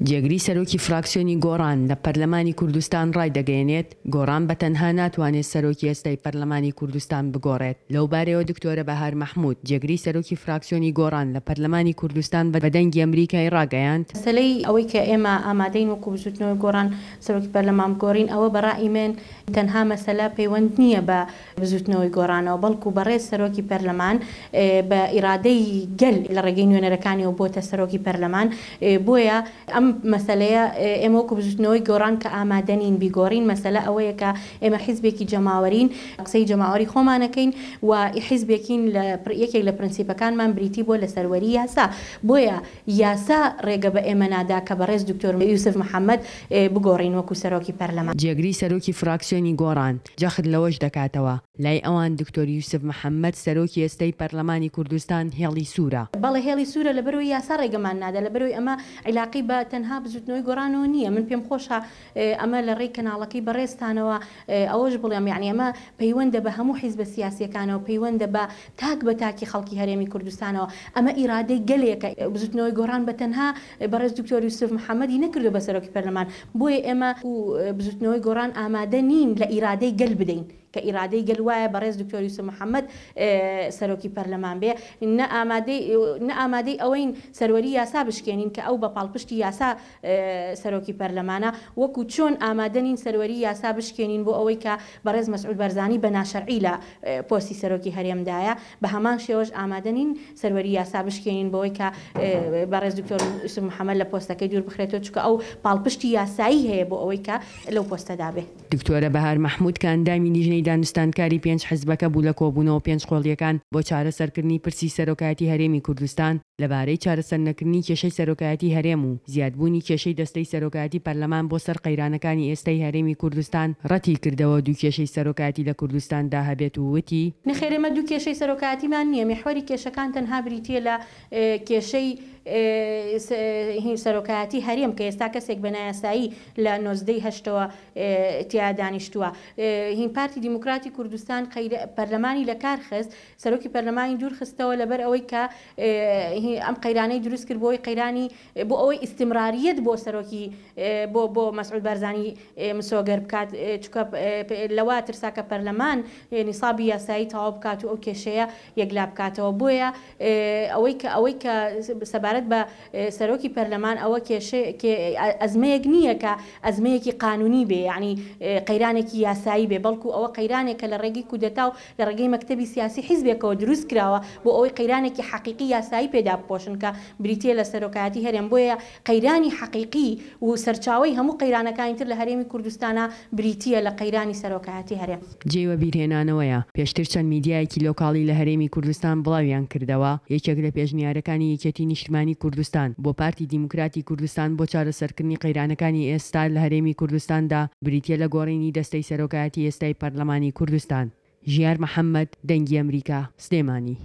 جێگری سەرۆکی فراکسیۆنی گۆڕان لە پەرلەمانی کوردستان ڕایدەگەیەنێت، گۆڕان بە تەنها ناتوانێت سەرۆکی ئێستای پەرلەمانی کوردستان بگۆڕێت. لەوبارەیەوە دکتۆرە بەهار مەحمود، جێگری سەرۆکی فراکسیۆنی گۆڕان لە پەرلەمانی کوردستان بە دەنگی ئەمریکای ڕاگەیاند، مەسەلەی ئەوەی کە ئێمە ئامادەین وەکو بزوتنەوەی گۆڕان سەرۆکی پەرلەمان بگۆڕین ئەوە بە ڕائی من تەنها مەسەلە پەیوەند نییە بە بزوتنەوەی گۆڕانەوە بەڵکو بەڕێز سەرۆکی پەرلەمان بە ئیرادەی گەل لە ڕێگەی نوێنەرەکانیەوە بۆتە سەرۆکی پەرلەمان بۆیە ئەم مەسەلەیە ئێمە وەکو بزوتنەوەی گۆڕان کە ئامادە نین بیگۆڕین مەسەلە ئەوەیە کە ئێمە حیزبێکی جەماوەرین قسەی جەماوەری خۆمان ئەکەین و حیزبێکین لە یەکێک لە پرنسیپەکانمان بریتی بووە لە سەروەری یاسا بۆیە یاسا ڕێگە بە ئێمە نادا کە بەڕێز دکتۆر یوسف محەمەد بگۆڕین وەکو سەرۆکی پەرلەمان. جێگری سەرۆکی فراکسیۆنی گۆڕان جەخت لەوەش دەکاتەوە، لای ئەوان دکتۆر یوسف محەمەد سەرۆکی ئێستای پەرلەمانی کوردستان هێڵی سوورە. بەڵێ هێڵی سوورە لەبەرئەوەی یاسا ڕێگەمان نادا، لەبەرئەوەی ئەمە عیلاقەی بە تەنها بزوتنەوەی گۆڕانەوە نییە، من پێم خۆشە ئەمە لە ڕێی کەناڵەکەی بەڕێزتانەوە ئەوەش بڵێم یەعنی ئەمە پەیوەندە بە هەموو حیزبە سیاسییەکانەوە، پەیوەندە بە تاک بە تاکی خەڵکی هەرێمی کوردستانەوە، ئەمە ئیرادەی گەلێکە، بزوتنەوەی گۆڕان بە تەنها بەڕێز دکتۆر یوسف محەمەدی نەکردوە بە سەرۆکی پەرلەمان، بۆیە ئێمە و بزوتنەوەی گۆڕان ئامادە نین لە ئیرادەی گەل بدەین، کە ئیرادەی گەل وایە بەڕێز دکتۆر یوسف محەمەد سەرۆکی پەرلەمان بێ، نە ئامادەی نە ئامادەی ئەوەین سەروەری یاسا بشکێنین کە ئەو بە پاڵپشتی یاسا سەرۆکی پەرلەمانە، وەکو چۆن ئامادە نین سەروەری یاسا بشکێنین بۆ ئەوەی کە بەڕێز مەسعود بارزانی بە ناشەرعی لە پۆستی سەرۆکی هەرێمدایە، بە هەمان شێوەش ئامادە نین سەروەری یاسا بشکێنین بەوەی کە بەڕێز دکتۆر یوسف محەمەد لە پۆستەکەی دوور بخرێتەوە، چونکە ئەو پاڵپشتی یاسایی هەیە بۆ ئەوەی کە لەو پۆستەدا بێ. دکتۆرە بەهار مەحمود کە ئەندامی لیژنەی دانوستاندکاری پێنج حزبەکە بوو لە کۆبوونەوە پێنج قۆڵییەکان بۆ چارەسەرکردنی پرسی سەرۆکایەتی هەرێمی کوردستان، لەبارەی چارەسەرنەکردنی کێشەی سەرۆکایەتی هەرێم و زیادبوونی کێشەی دەستەی سەرۆکایەتی پەرلەمان بۆ سەر قەیرانەکانی ئێستای هەرێمی کوردستان ڕەتیکردەوە دوو کێشەی سەرۆکایەتی لە کوردستاندا هەبێت و وتی، نەخێر ئێمە دوو کێشەی سەرۆکایەتیمان نییە، میحوەری کێشەکان تەنها بریتییە لە کێشەی سەرۆکایەتی هەرێم کە ئێستا کەسێک بە نایاسایی لە 19 ی هەشتەوە تیا دانیشتووە. هین پارتی دیموکراتی کوردستان پەرلەمانی لەکار خست، سەرۆکی پەرلەمانی دوور خستەوە لەبەر ئەوەی کە ئەم قەیرانەی دروست کرد بۆی قەیرانی بۆ ئەوەی ئیستمراریەت بۆ سەرۆکی بۆ بۆ مەسعود بارزانی مسۆگەر بکات چونکە لەوە ترسا کە پەرلەمان نیسابی یاسایی تەواو بکات و ئەو کێشەیە یەکلا بکاتەوە بۆیە ئەوەی کە ئەوەی کە سەبارەت بە سەرۆکی پەرلەمان ئەوە کێشەیە ئەزمەیەک نییە کە ئەزمەیەکی قانونی بێ یانی قەیرانێکی یاسایی بێ بەڵکو ئەوە قەیرانێکە لە ڕێگەی کودەتا و لە ڕێگەی مەکتەبی سیاسی حیزبێکەوە دروست کراوە بۆ ئەوەی قەیرانێکی حەقیقی یاسایی پێ دابپۆشن کە بریتییە لە سەرۆکایەتی هەرێم بۆیە قەیرانی حەقیقی و سەرچاوەی هەموو قەیرانەکانی تر لە هەرێمی کوردستانا بریتییە لە قەیرانی سەرۆکایەتی هەرێم. جێی وەبیرهێنانەوەیە، پێشتر چەند میدیایەکی لۆکاڵی لە هەرێمی کوردستان بڵاویان کردەوە، یەکێک لە پێشنیارەکانی یەکێتی نیشتمانی کوردستان بۆ پارتی دیموکراتی کوردستان بۆ چارەسەرکردنی قەیرانەکانی ئێستا لە هەرێمی کوردستاندا بریتییە لە گۆڕینی دەستەی سەرۆکایەتی ئێستای پەرلەمانی کوردستان. ژیار محەمەد، دەنگی ئەمریکا، سلێمانی.